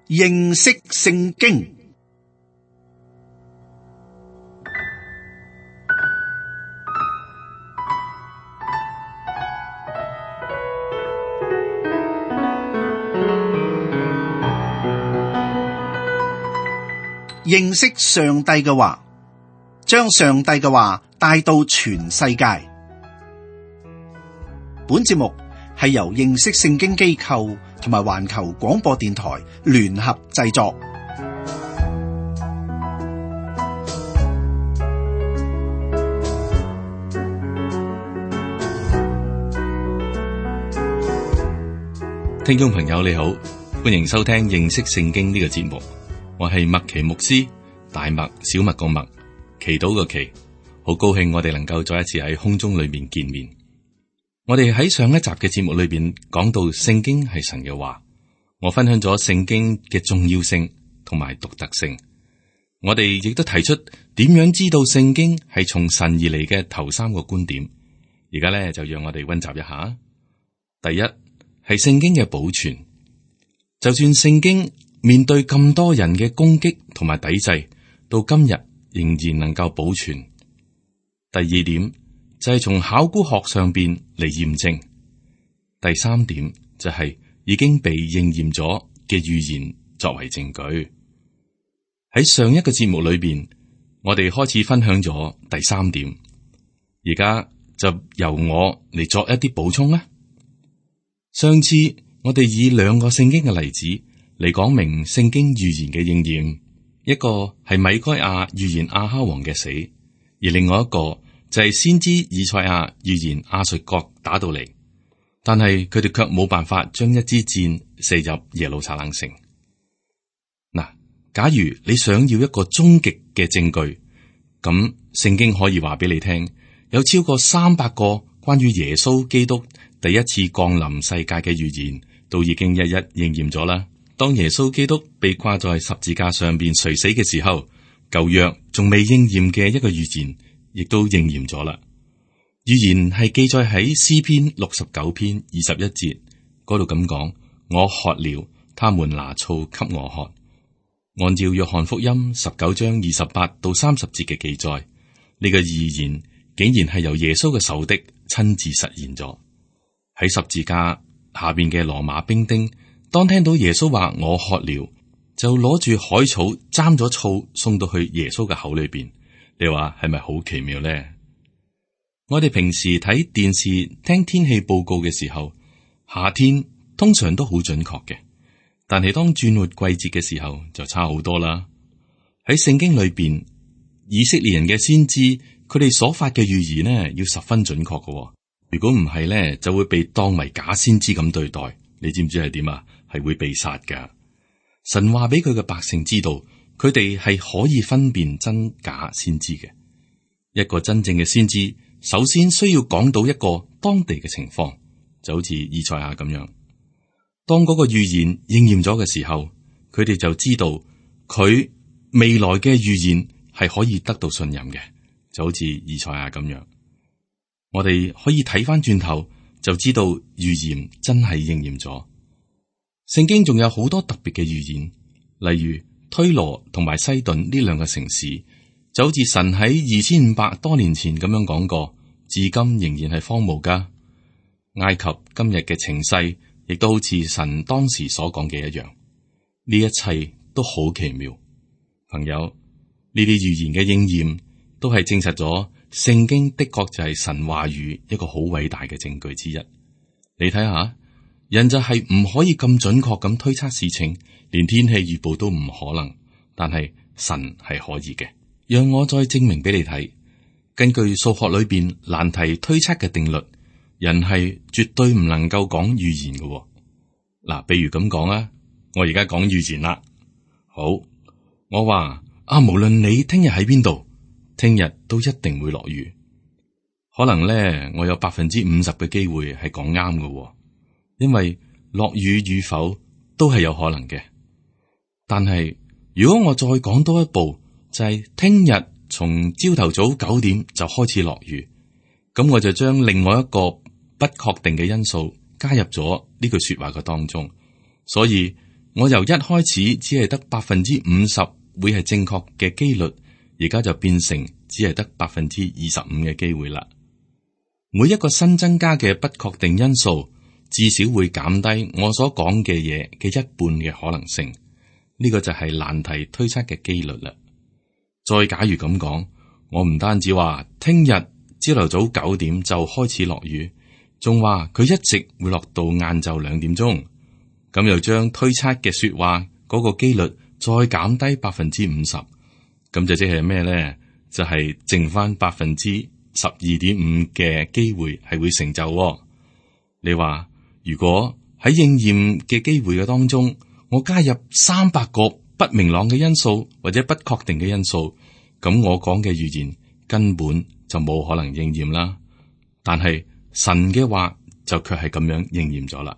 認識聖經。認識上帝嘅話，將上帝嘅話帶到全世界。本節目係由認識聖經機構同埋環球廣播電台聯合製作。聽眾朋友你好，歡迎收聽認識聖經呢個節目。我係麥奇牧師，大麥小麥個麥，祈禱個祈，好高興我哋能夠再一次喺空中裏面見面。我哋喺上一集嘅節目裏邊講到聖經係神嘅話，我分享咗聖經嘅重要性同埋獨特性。我哋亦都提出點樣知道聖經係從神而嚟嘅頭三個觀點。而家咧就讓我哋溫習一下。第一係聖經嘅保存，就算聖經面對咁多人嘅攻擊同埋抵制，到今日仍然能夠保存。第二點就係從考古學上邊嚟驗證。第三點就係已經被應驗咗嘅預言作為證據。喺上一個節目裏邊，我哋開始分享咗第三點，而家就由我嚟作一啲補充啦。上次我哋以兩個聖經嘅例子嚟講明聖經預言嘅應驗，一個係米該亞預言亞哈王嘅死，而另外一個就係先知以賽亞預言亞述國打到嚟，但係佢哋卻冇辦法將一支箭射入耶路撒冷城。嗱，假如你想要一個終極嘅證據，咁聖經可以話俾你聽，有超過300個關於耶穌基督第一次降臨世界嘅預言，都已經一一應驗咗啦。當耶穌基督被掛在十字架上邊垂死嘅時候，舊約仲未應驗嘅一個預言，亦都應驗咗啦。預言係記載喺詩篇69篇21節嗰度咁講：我渴了，他們拿醋給我喝。按照約翰福音19章28到30節嘅記載，呢個預言竟然係由耶穌嘅仇敵親自實現咗。喺十字架下邊嘅羅馬兵丁，當聽到耶穌話我渴了，就攞住海草沾咗醋送到去耶穌嘅口裏邊。你話係咪好奇妙呢？我哋平時睇電視聽天氣報告嘅時候，夏天通常都好準確嘅，但係當轉換季節嘅時候就差好多啦。喺聖經裏邊，以色列人嘅先知佢哋所發嘅預言呢，要十分準確嘅。如果唔係呢，就會被當為假先知咁對待。你知唔知係點啊？係會被殺噶。神話俾佢嘅百姓知道，佢哋係可以分辨真假先知嘅。一個真正嘅先知，首先需要講到一個當地嘅情況，就好似以賽亞咁樣。當嗰個預言應驗咗嘅時候，佢哋就知道佢未來嘅預言係可以得到信任嘅，就好似以賽亞咁樣。我哋可以睇翻轉頭，就知道預言真係應驗咗。聖經仲有好多特別嘅預言，例如推羅同埋西頓呢兩個城市，就好似神喺2500多年前咁樣講過，至今仍然係荒蕪噶。埃及今日嘅情勢，亦都好似神當時所講嘅一樣。呢一切都好奇妙，朋友，呢啲預言嘅應驗都係證實咗聖經的確就係神話語一個好偉大嘅證據之一。你睇下，人就係唔可以咁準確咁推測事情，連天氣預報都唔可能，但係神係可以嘅。讓我再證明俾你睇，根據數學裏邊難題推測嘅定律，人係絕對唔能夠講預言嘅。嗱，比如咁講啊，我而家講預言啦。好，我話無論你聽日喺邊度，聽日都一定會落雨。可能咧，我有50%嘅機會係講啱嘅，因為落雨與否都係有可能嘅。但係如果我再講多一步，就係聽日從朝頭早9點就開始落雨，咁我就將另外一個不確定嘅因素加入咗呢句說話嘅當中，所以我由一開始只係得50%會係正確嘅機率，而家就變成只係得25%嘅機會啦。每一個新增加嘅不確定因素，至少會減低我所講嘅嘢嘅一半嘅可能性。呢個就係難題推測嘅機率啦。再假如咁講，我唔單止話聽日朝頭早9點就開始落雨，仲話佢一直會落到晏晝2點鐘，咁又將推測嘅說話嗰個機率再減低50%，咁就即係咩咧？就係剩翻12.5%嘅機會係會成就喎。你話如果喺應驗嘅機會嘅當中，我加入300個不明朗嘅因素或者不確定嘅因素，咁我講嘅預言根本就冇可能應驗啦。但係神嘅話就卻係咁樣應驗咗啦。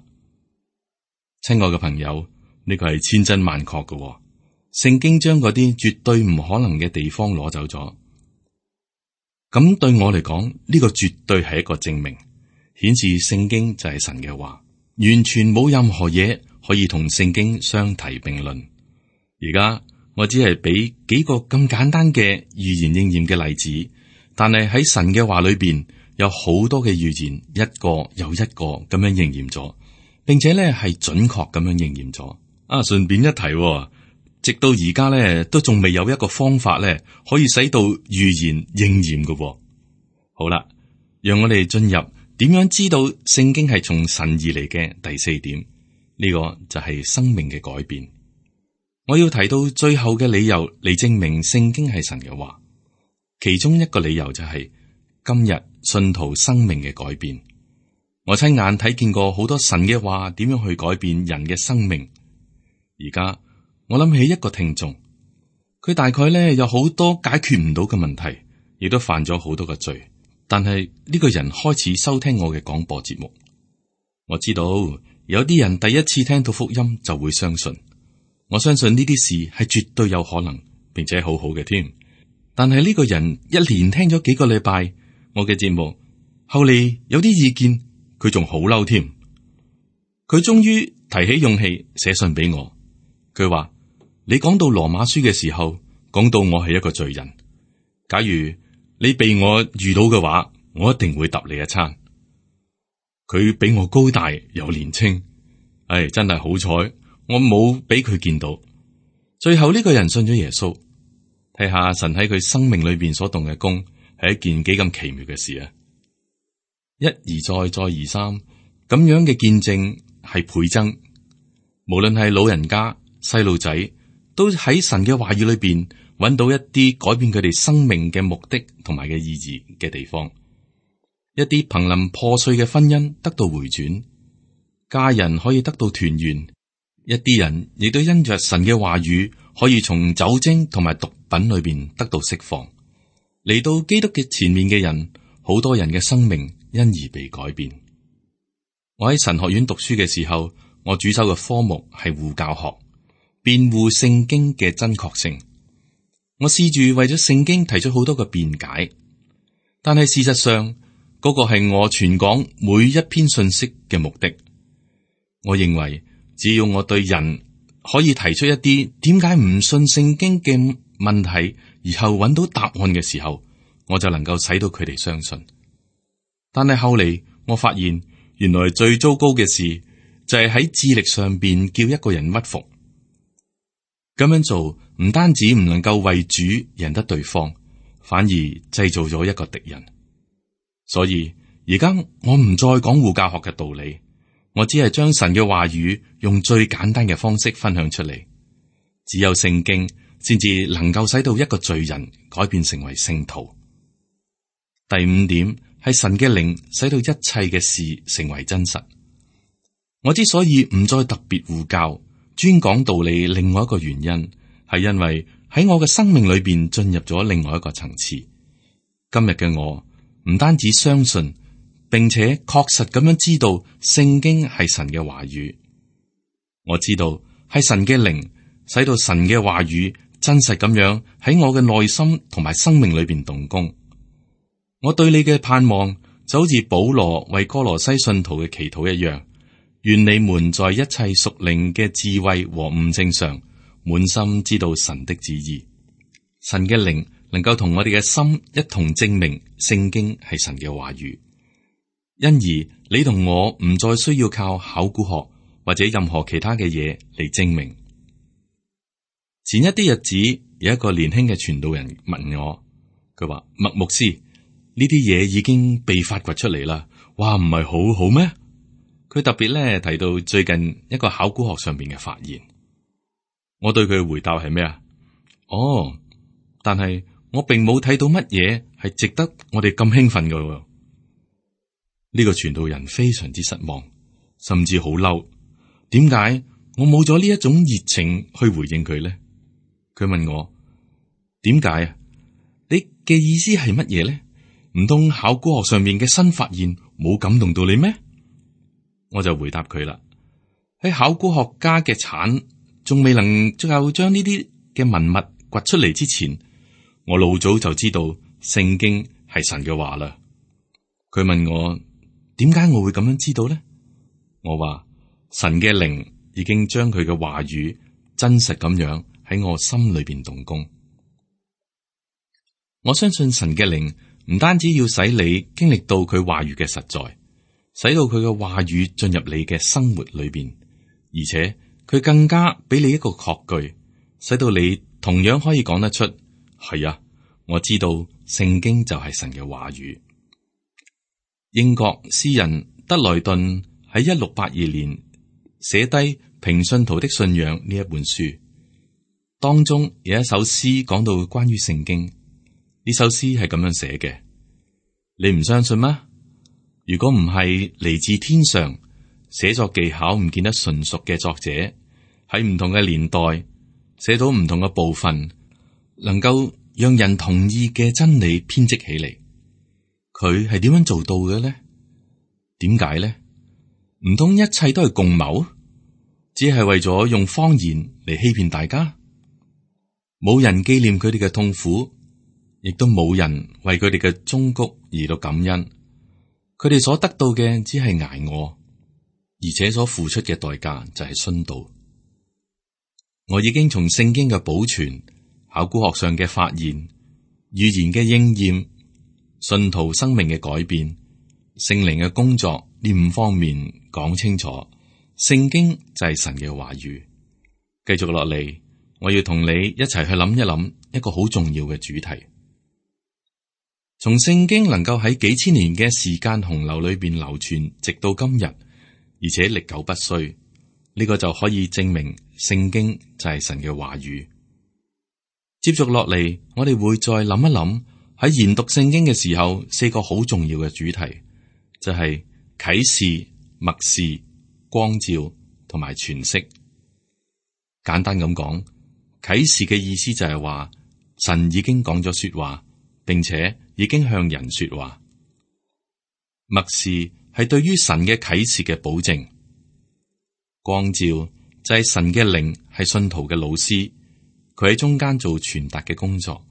親愛嘅朋友，呢個係千真萬確嘅喎。聖經將嗰啲絕對唔可能嘅地方攞走咗。咁對我嚟講，呢個絕對係一個證明，顯示聖經就係神嘅話，完全冇任何嘢可以同聖經相提並論。而家我只係俾幾個咁簡單嘅預言應驗嘅例子，但係喺神嘅話裏邊有好多嘅預言，一個又一個咁樣應驗咗，並且咧係準確咁樣應驗咗。順便一提，直到而家咧都仲未有一個方法咧可以使到預言應驗嘅。好啦，讓我哋進入點樣知道聖經係從神而嚟嘅第4點，呢個就係生命嘅改變。我要提到最後嘅理由嚟證明聖經係神嘅話，其中一個理由就係今日信徒生命嘅改變。我親眼睇見過好多神嘅話點樣去改變人嘅生命。而家我諗起一個聽眾，佢大概咧有好多解決唔到嘅問題，亦都犯咗好多嘅罪。但係呢個人開始收聽我嘅廣播節目。我知道有啲人第一次聽到福音就會相信，我相信呢啲事係絕對有可能，並且好好嘅添。但係呢個人一連聽咗幾個禮拜我嘅節目，後嚟有啲意見，佢仲好嬲添。佢終於提起勇氣寫信俾我，佢話：你講到羅馬書嘅時候，講到我係一個罪人。假如你被我遇到嘅話，我一定會揼你一餐。佢比我高大又年輕，真係好彩，我冇俾佢見到。最後呢個人信咗耶穌，睇下神喺佢生命裏邊所動嘅功，係一件幾咁奇妙嘅事啊！一而再，再而三咁樣嘅見證係倍增。無論係老人家、細路仔，都喺神嘅話語裏邊揾到一啲改變佢哋生命嘅目的同埋嘅意義嘅地方。一啲瀕臨破碎嘅婚姻得到回轉，家人可以得到團圓，一啲人亦都因着神嘅話語可以從酒精同埋毒品裏邊得到釋放。嚟到基督嘅前面嘅人，好多人嘅生命因而被改變。我喺神學院讀書嘅時候，我主修嘅科目係護教學，辯護聖經嘅真確性。我試住為咗聖經提出好多嘅辯解，但係事實上嗰個係我傳講每一篇信息嘅目的。我認為只要我對人可以提出一啲點解唔信聖經嘅問題，而後揾到答案嘅時候，我就能夠使到佢哋相信。但係後嚟我發現，原來最糟糕嘅事就係喺智力上邊叫一個人屈服。咁樣做唔單止唔能夠為主贏得對方，反而製造咗一個敵人。所以而家我唔再講護教學嘅道理，我只係將神嘅話語用最簡單嘅方式分享出嚟。只有聖經先至能夠使到一個罪人改變成為聖徒。第5點係神嘅靈使到一切嘅事成為真實。我之所以唔再特別護教，專講道理，另外一個原因係因為喺我嘅生命裏邊進入咗另外一個層次。今日嘅我唔單止相信，並且確實咁樣知道聖經係神嘅話語。我知道係神嘅靈使到神嘅話語真實咁樣喺我嘅內心同埋生命裏邊動工。我對你嘅盼望就好似保羅為哥羅西信徒嘅祈禱一樣，願你們在一切屬靈嘅智慧和悟性上，滿心知道神的旨意。神嘅靈能夠同我哋嘅心一同證明聖經係神嘅話語，因而你同我唔再需要靠考古學或者任何其他嘅嘢嚟證明。前一啲日子，有一個年輕嘅傳道人問我，佢話：麥牧師，呢啲嘢已經被發掘出嚟啦，哇，唔係好好咩？佢特別咧提到最近一個考古學上面嘅發現。我對佢嘅回答係咩啊？哦，但係我並冇睇到乜嘢係值得我哋咁興奮嘅。呢個傳道人非常之失望，甚至好嬲。點解我冇咗呢一種熱情去回應佢咧？佢問我點解啊？你嘅意思係乜嘢咧？唔通考古學上面嘅新發現冇感動到你咩？我就回答佢啦。喺考古學家嘅鏟仲未能夠將呢啲嘅文物掘出嚟之前，我老早就知道聖經係神嘅話啦。佢問我點解我會咁樣知道咧？我話神嘅靈已經將佢嘅話語真實咁樣喺我心裏邊動工。我相信神嘅靈唔單止要使你經歷到佢話語嘅實在，使到佢嘅話語進入你嘅生活裏邊，而且佢更加俾你一個確據，使到你同樣可以講得出，係啊，我知道聖經就係神嘅話語。英國詩人德萊頓喺1682年寫低《平信徒的信仰》呢一本書，當中有一首詩講到關於聖經。呢首詩係咁樣寫嘅，你唔相信嗎？如果唔係嚟自天上，寫作技巧唔見得純熟嘅作者，喺唔同嘅年代寫到唔同嘅部分，能夠讓人同意嘅真理編織起嚟，佢係點樣做到嘅呢？點解呢？唔通一切都係共謀，只係為咗用謊言嚟欺騙大家？冇人紀念佢哋嘅痛苦，亦都冇人為佢哋嘅忠告而到感恩。佢哋所得到嘅只係挨餓，而且所付出嘅代價就係殉道。我已經從聖經嘅保存、考古學上嘅發現、預言嘅應驗、信徒生命嘅改變、聖靈嘅工作呢5方面講清楚，聖經就係神嘅話語。繼續落嚟，我要同你一齊去諗一諗一個好重要嘅主題。從聖經能夠喺幾千年嘅時間洪流裏邊流傳，直到今日，而且歷久不衰，呢個就可以證明聖經就係神嘅話語。接續落嚟，我哋會再諗一諗喺研讀聖經嘅時候，4個好重要嘅主題，就係啟示、默示、光照同埋詮釋。簡單咁講，啟示嘅意思就係話神已經講咗說話，並且已經向人說話。默示係對於神嘅啟示嘅保證。光照就係神嘅靈係信徒嘅老師，佢喺中間做傳達嘅工作。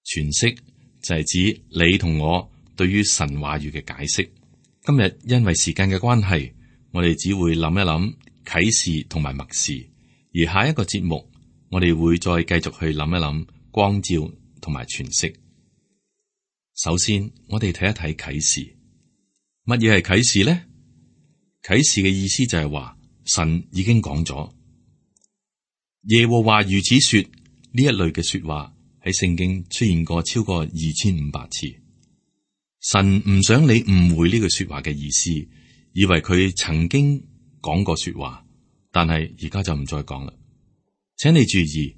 詮釋就係指你同我對於神話語嘅解釋。今日因為時間嘅關係，我哋只會諗一諗啟示同埋默示，而下一個節目我哋會再繼續去諗一諗光照同埋詮釋。首先，我哋睇一睇啟示。乜嘢係啟示呢？啟示嘅意思就係話神已經講咗，耶和華如此說，呢一類嘅說話喺聖經出現過超過2500次。神唔想你誤會呢句說話嘅意思，以為佢曾經講過說話，但係而家就唔再講啦。請你注意，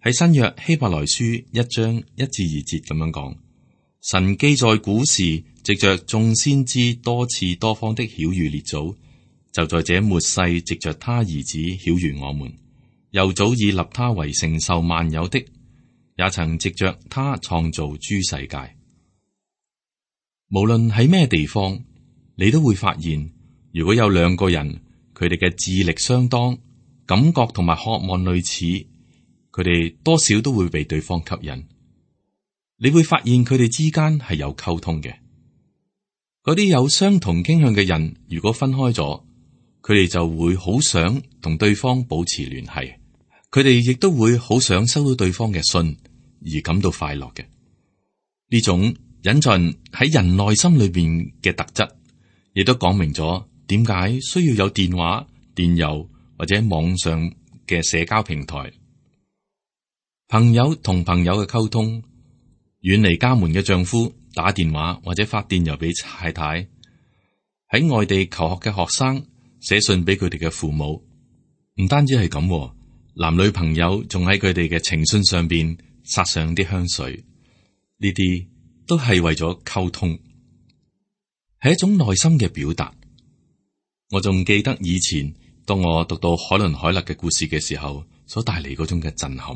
喺新約希伯來書1章1至2節咁樣講。神既在古時藉着眾先知多次多方的曉諭列祖，就在這末世藉着他兒子曉諭我們，又早已立他為承受萬有的，也曾藉着他創造諸世界。無論喺咩地方，你都會發現，如果有2個人，佢哋嘅智力相當，感覺同埋渴望類似，佢哋多少都會被對方吸引。你會發現佢哋之間係有溝通嘅。嗰啲有相同傾向嘅人，如果分開咗，佢哋就會好想同對方保持聯繫，佢哋亦都會好想收到對方嘅信而感到快樂嘅。呢種隱藏喺人內心裏邊嘅特質，亦都講明咗點解需要有電話、電郵或者網上嘅社交平台。朋友同朋友嘅溝通，遠離家門嘅丈夫打電話或者發電郵俾太太，喺外地求學嘅學生寫信俾佢哋嘅父母。唔單止係咁，男女朋友仲喺佢哋嘅情信上邊撒上啲香水，呢啲都係為咗溝通，係一種內心嘅表達。我仲記得以前當我讀到海倫凱勒嘅故事嘅時候，所帶嚟嗰種嘅震撼。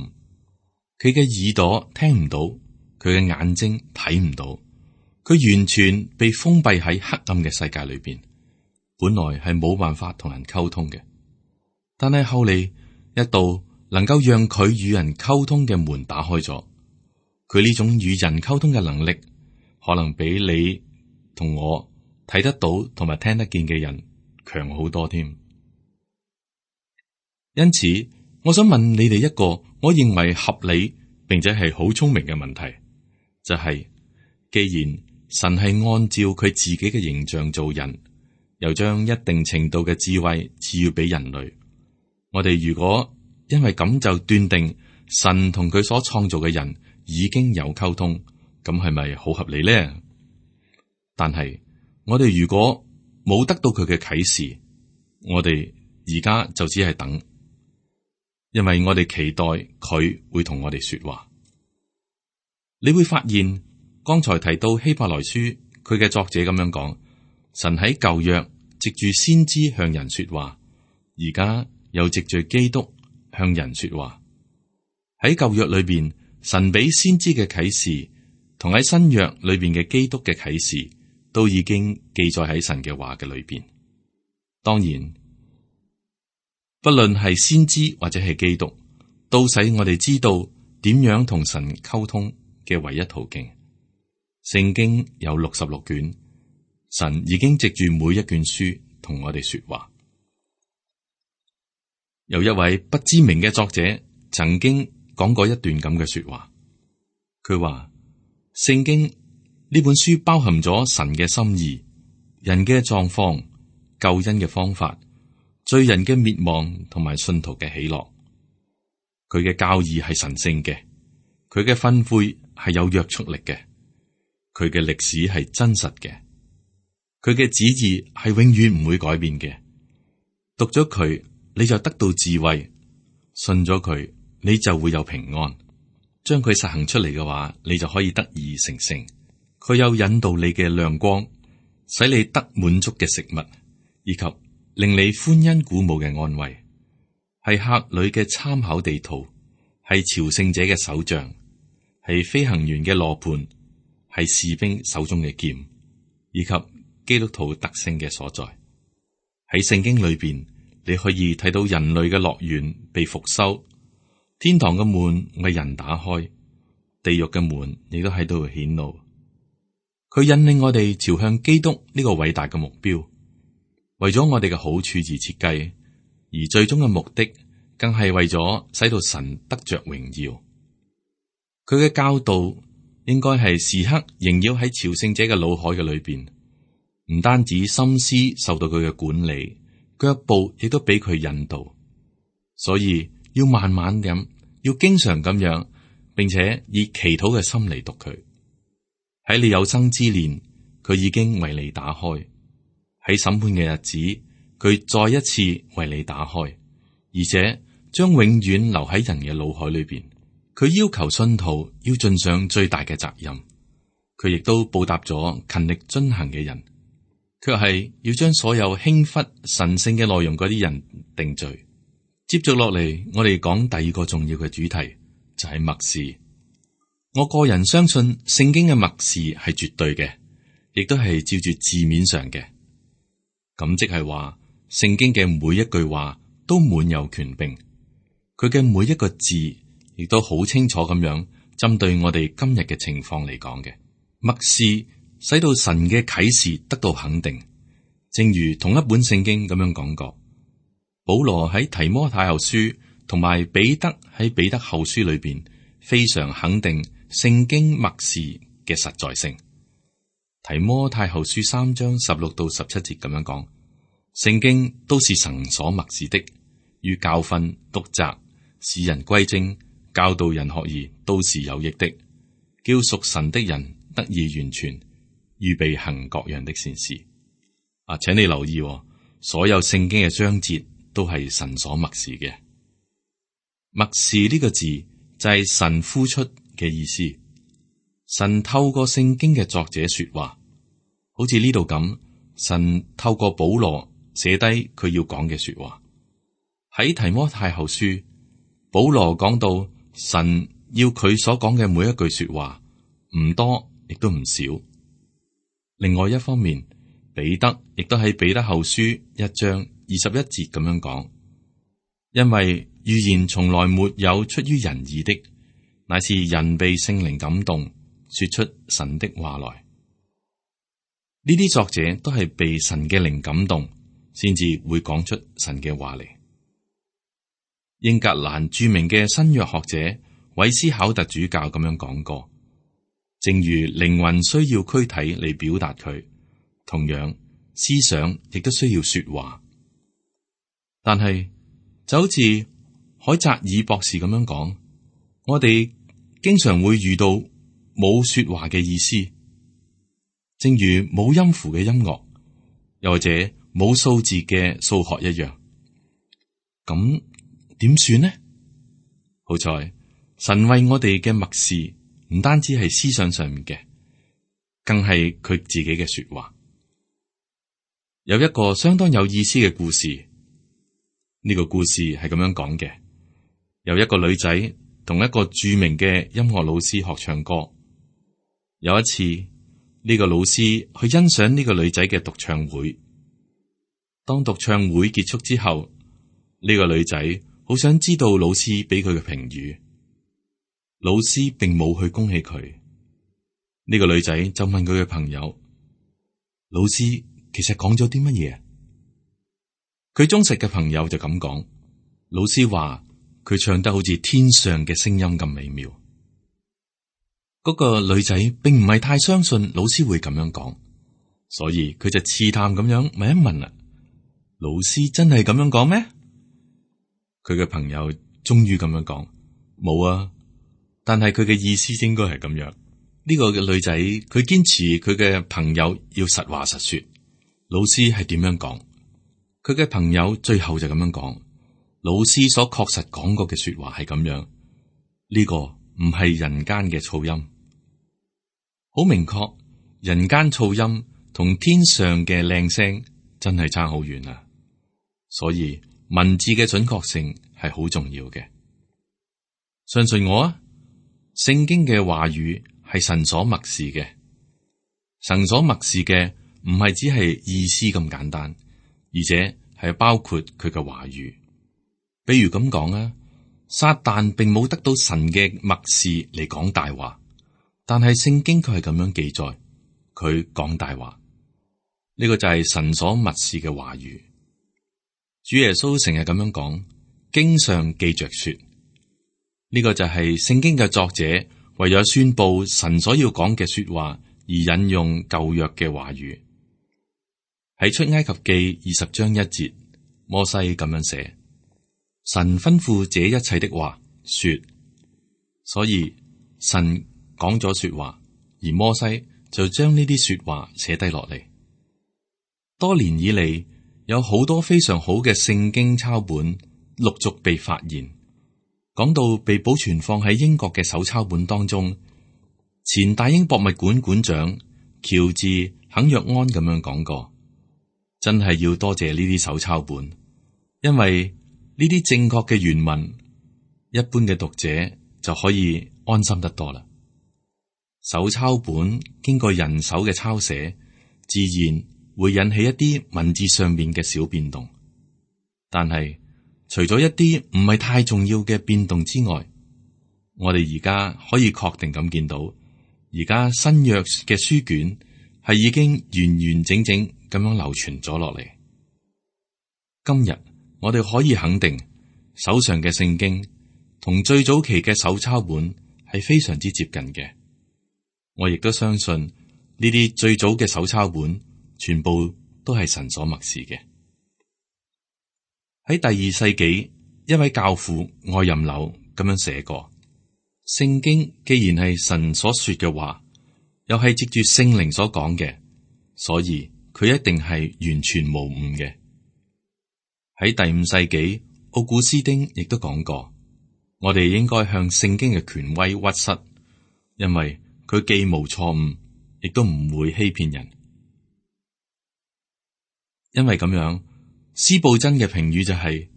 佢嘅耳朵聽唔到，佢嘅眼睛睇唔到，佢完全被封閉喺黑暗嘅世界裏邊，本來係冇辦法同人溝通嘅。但係後嚟一道能夠讓佢與人溝通嘅門打開咗，佢呢種與人溝通嘅能力，可能比你同我睇得到同埋聽得見嘅人強好多添。因此，我想問你哋一個我認為合理並且係好聰明嘅問題，就係，既然神係按照佢自己嘅形象做人，又將一定程度嘅智慧賜予俾人類，我哋如果因為咁就斷定神同佢所創造嘅人已經有溝通，咁係咪好合理呢？但係我哋如果冇得到佢嘅啟示，我哋而家就只係等。因為我哋期待佢會同我哋說話。你會發現剛才提到希伯來書，佢嘅作者咁樣講，神喺舊約藉住先知向人說話，而家又藉住基督向人說話。喺舊約裏邊，神俾先知嘅啟示，同喺新約裏邊嘅基督嘅啟示，都已經記載喺神嘅話嘅裏邊。當然，不論係先知或者係基督，都使我哋知道點樣同神溝通嘅唯一途徑。聖經有66卷，神已經藉住每一卷書同我哋說話。有一位不知名嘅作者曾經講過一段咁嘅說話，佢話聖經呢本書包含咗神嘅心意、人嘅狀況、救恩嘅方法、罪人嘅滅亡同埋信徒嘅喜樂。佢嘅教義係神聖嘅，佢嘅訓誨係有約束力嘅，佢嘅歷史係真實嘅，佢嘅旨意係永遠唔會改變嘅。讀咗佢，你就得到智慧；信咗佢，你就會有平安。將佢實行出嚟嘅話，你就可以得以成聖。佢有引導你嘅亮光，使你得滿足嘅食物，以及令你歡欣鼓舞嘅安慰，係客旅嘅參考地圖，係朝聖者嘅手杖，係飛行員嘅羅盤，係士兵手中嘅劍，以及基督徒特性嘅所在。喺聖經裏邊，你可以睇到人類嘅樂園被復修，天堂嘅門為人打開，地獄嘅門亦都喺度顯露。佢引領我哋朝向基督呢個偉大嘅目標，為咗我哋嘅好處而設計，而最終嘅目的更係為咗使到神得着榮耀。佢嘅教導應該係時刻縈繞喺朝聖者嘅腦海嘅裏邊，唔單止心思受到佢嘅管理，腳步亦都俾佢引導。所以要慢慢咁，要經常咁樣，並且以祈禱嘅心嚟讀佢。喺你有生之年，佢已經為你打開。喺審判嘅日子，佢再一次為你打開，而且將永遠留喺人嘅腦海裏邊。佢要求信徒要盡上最大嘅責任，佢亦都報答咗勤力遵行嘅人，卻係要將所有輕忽神聖嘅內容嗰啲人定罪。接續落嚟，我哋講第二個重要嘅主題，就係默示。我個人相信聖經嘅默示係絕對嘅，亦都係照住字面上嘅。咁即係話，聖經嘅每一句話都滿有權柄，佢嘅每一個字亦都好清楚咁樣針對我哋今日嘅情況嚟講嘅。默示使到神嘅啟示得到肯定，正如同一本聖經咁樣講過，保羅喺提摩太後書同埋彼得喺彼得後書裏邊，非常肯定聖經默示嘅實在性。提摩太後書3章16到17節咁樣講，聖經都是神所默示的，於教訓、督責、使人歸正、教導人學義，都是有益的，叫屬神的人得以完全，預備行各樣的善事。請你留意，所有聖經嘅章節都係神所默示嘅。默示呢個字就係神呼出嘅意思。神透過聖經嘅作者說話，好似呢度咁，神透過保羅寫低佢要講嘅說話。喺提摩太後書，保羅講到神要佢所講嘅每一句說話唔多，亦都唔少。另外一方面，彼得亦都喺彼得後書1章21節咁樣講，因為預言從來沒有出於人意的，乃是人被聖靈感動，說出神的話來。呢啲作者都係被神嘅靈感動，先至會講出神嘅話嚟。英格蘭著名嘅新約學者韋斯考特主教咁樣講過，正如靈魂需要軀體嚟表達佢，同樣思想亦都需要說話。但係就好似海澤爾博士咁樣講，我哋經常會遇到冇說話嘅意思，正如冇音符嘅音樂，又或者冇數字嘅數學一樣。咁點算呢？好在神為我哋嘅默示，唔單止係思想上面嘅，更係佢自己嘅說話。有一個相當有意思嘅故事，呢個故事係咁樣講嘅：有一個女仔同一個著名嘅音樂老師學唱歌。有一次，呢個老師去欣賞呢個女仔嘅獨唱會。當獨唱會結束之後，呢個女仔好想知道老師俾佢嘅評語。老師並冇去恭喜佢。呢個女仔就問佢嘅朋友：老師其實講咗啲乜嘢？佢忠實嘅朋友就咁講：老師話佢唱得好似天上嘅聲音咁美妙。嗰個女仔並唔係太相信老師會咁樣講，所以佢就試探咁樣問一問啦：老師真係咁樣講咩？佢嘅朋友終於咁樣講：冇啊，但係佢嘅意思應該係咁樣。呢個嘅女仔佢堅持佢嘅朋友要實話實說，老師係點樣講？佢嘅朋友最後就咁樣講：老師所確實講過嘅說話係咁樣，呢個唔係人間嘅噪音。好明確，人間噪音同天上嘅靚聲真係差好遠啊！所以文字嘅準確性係好重要嘅。相信我啊，聖經嘅話語係神所默示嘅。神所默示嘅唔係只係意思咁簡單，而且係包括佢嘅話語。比如咁講啊，撒旦並冇得到神嘅默示嚟講大話。但係聖經佢係咁樣記載，佢講大話，呢個就係神所默示嘅話語。主耶穌成日咁樣講，經上記着說，呢個就係聖經嘅作者為咗宣布神所要講嘅說話而引用舊約嘅話語。喺出埃及記20章1節，摩西咁樣寫：神吩咐這一切的話說，所以神講咗說話，而摩西就將呢啲說話寫低落嚟。多年以嚟，有好多非常好嘅聖經抄本陸續被發現。講到被保存放喺英國嘅手抄本當中，前大英博物館館長喬治肯約安咁樣講過：真係要多謝呢啲手抄本，因為呢啲正確嘅原文，一般嘅讀者就可以安心得多啦。手抄本經過人手嘅抄寫，自然會引起一啲文字上面嘅小變動。但係除咗一啲唔係太重要嘅變動之外，我哋而家可以確定咁見到，而家新約嘅書卷係已經完完整整咁樣流傳咗落嚟。今日我哋可以肯定手上嘅聖經同最早期嘅手抄本係非常之接近嘅。我亦都相信呢啲最早嘅手抄本全部都係神所默示嘅。喺第2世紀，一位教父愛任紐咁樣寫過：聖經既然係神所說嘅話，又係藉住聖靈所講嘅，所以佢一定係完全無誤嘅。喺第5世紀，奧古斯丁亦都講過，我哋應該向聖經嘅權威屈膝，因為佢既無錯誤，亦都唔會欺騙人。因為咁樣，司布真嘅評語就係：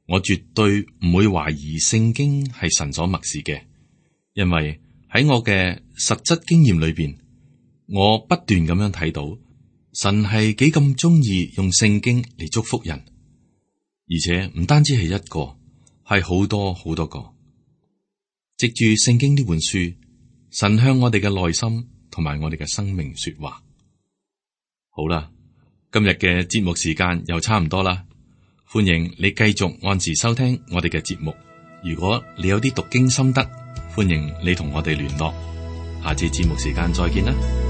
我絕對唔會懷疑聖經係神所默示嘅，因為喺我嘅實質經驗裏邊，我不斷咁樣睇到神係幾咁中意用聖經嚟祝福人。而且唔單止係一個，係好多好多個。藉住聖經呢本書，神向我哋嘅內心同埋我哋嘅生命說話。好啦，今日嘅節目時間又差唔多啦，歡迎你繼續按時收聽我哋嘅節目。如果你有啲讀經心得，歡迎你同我哋聯絡。下次節目時間再見啦。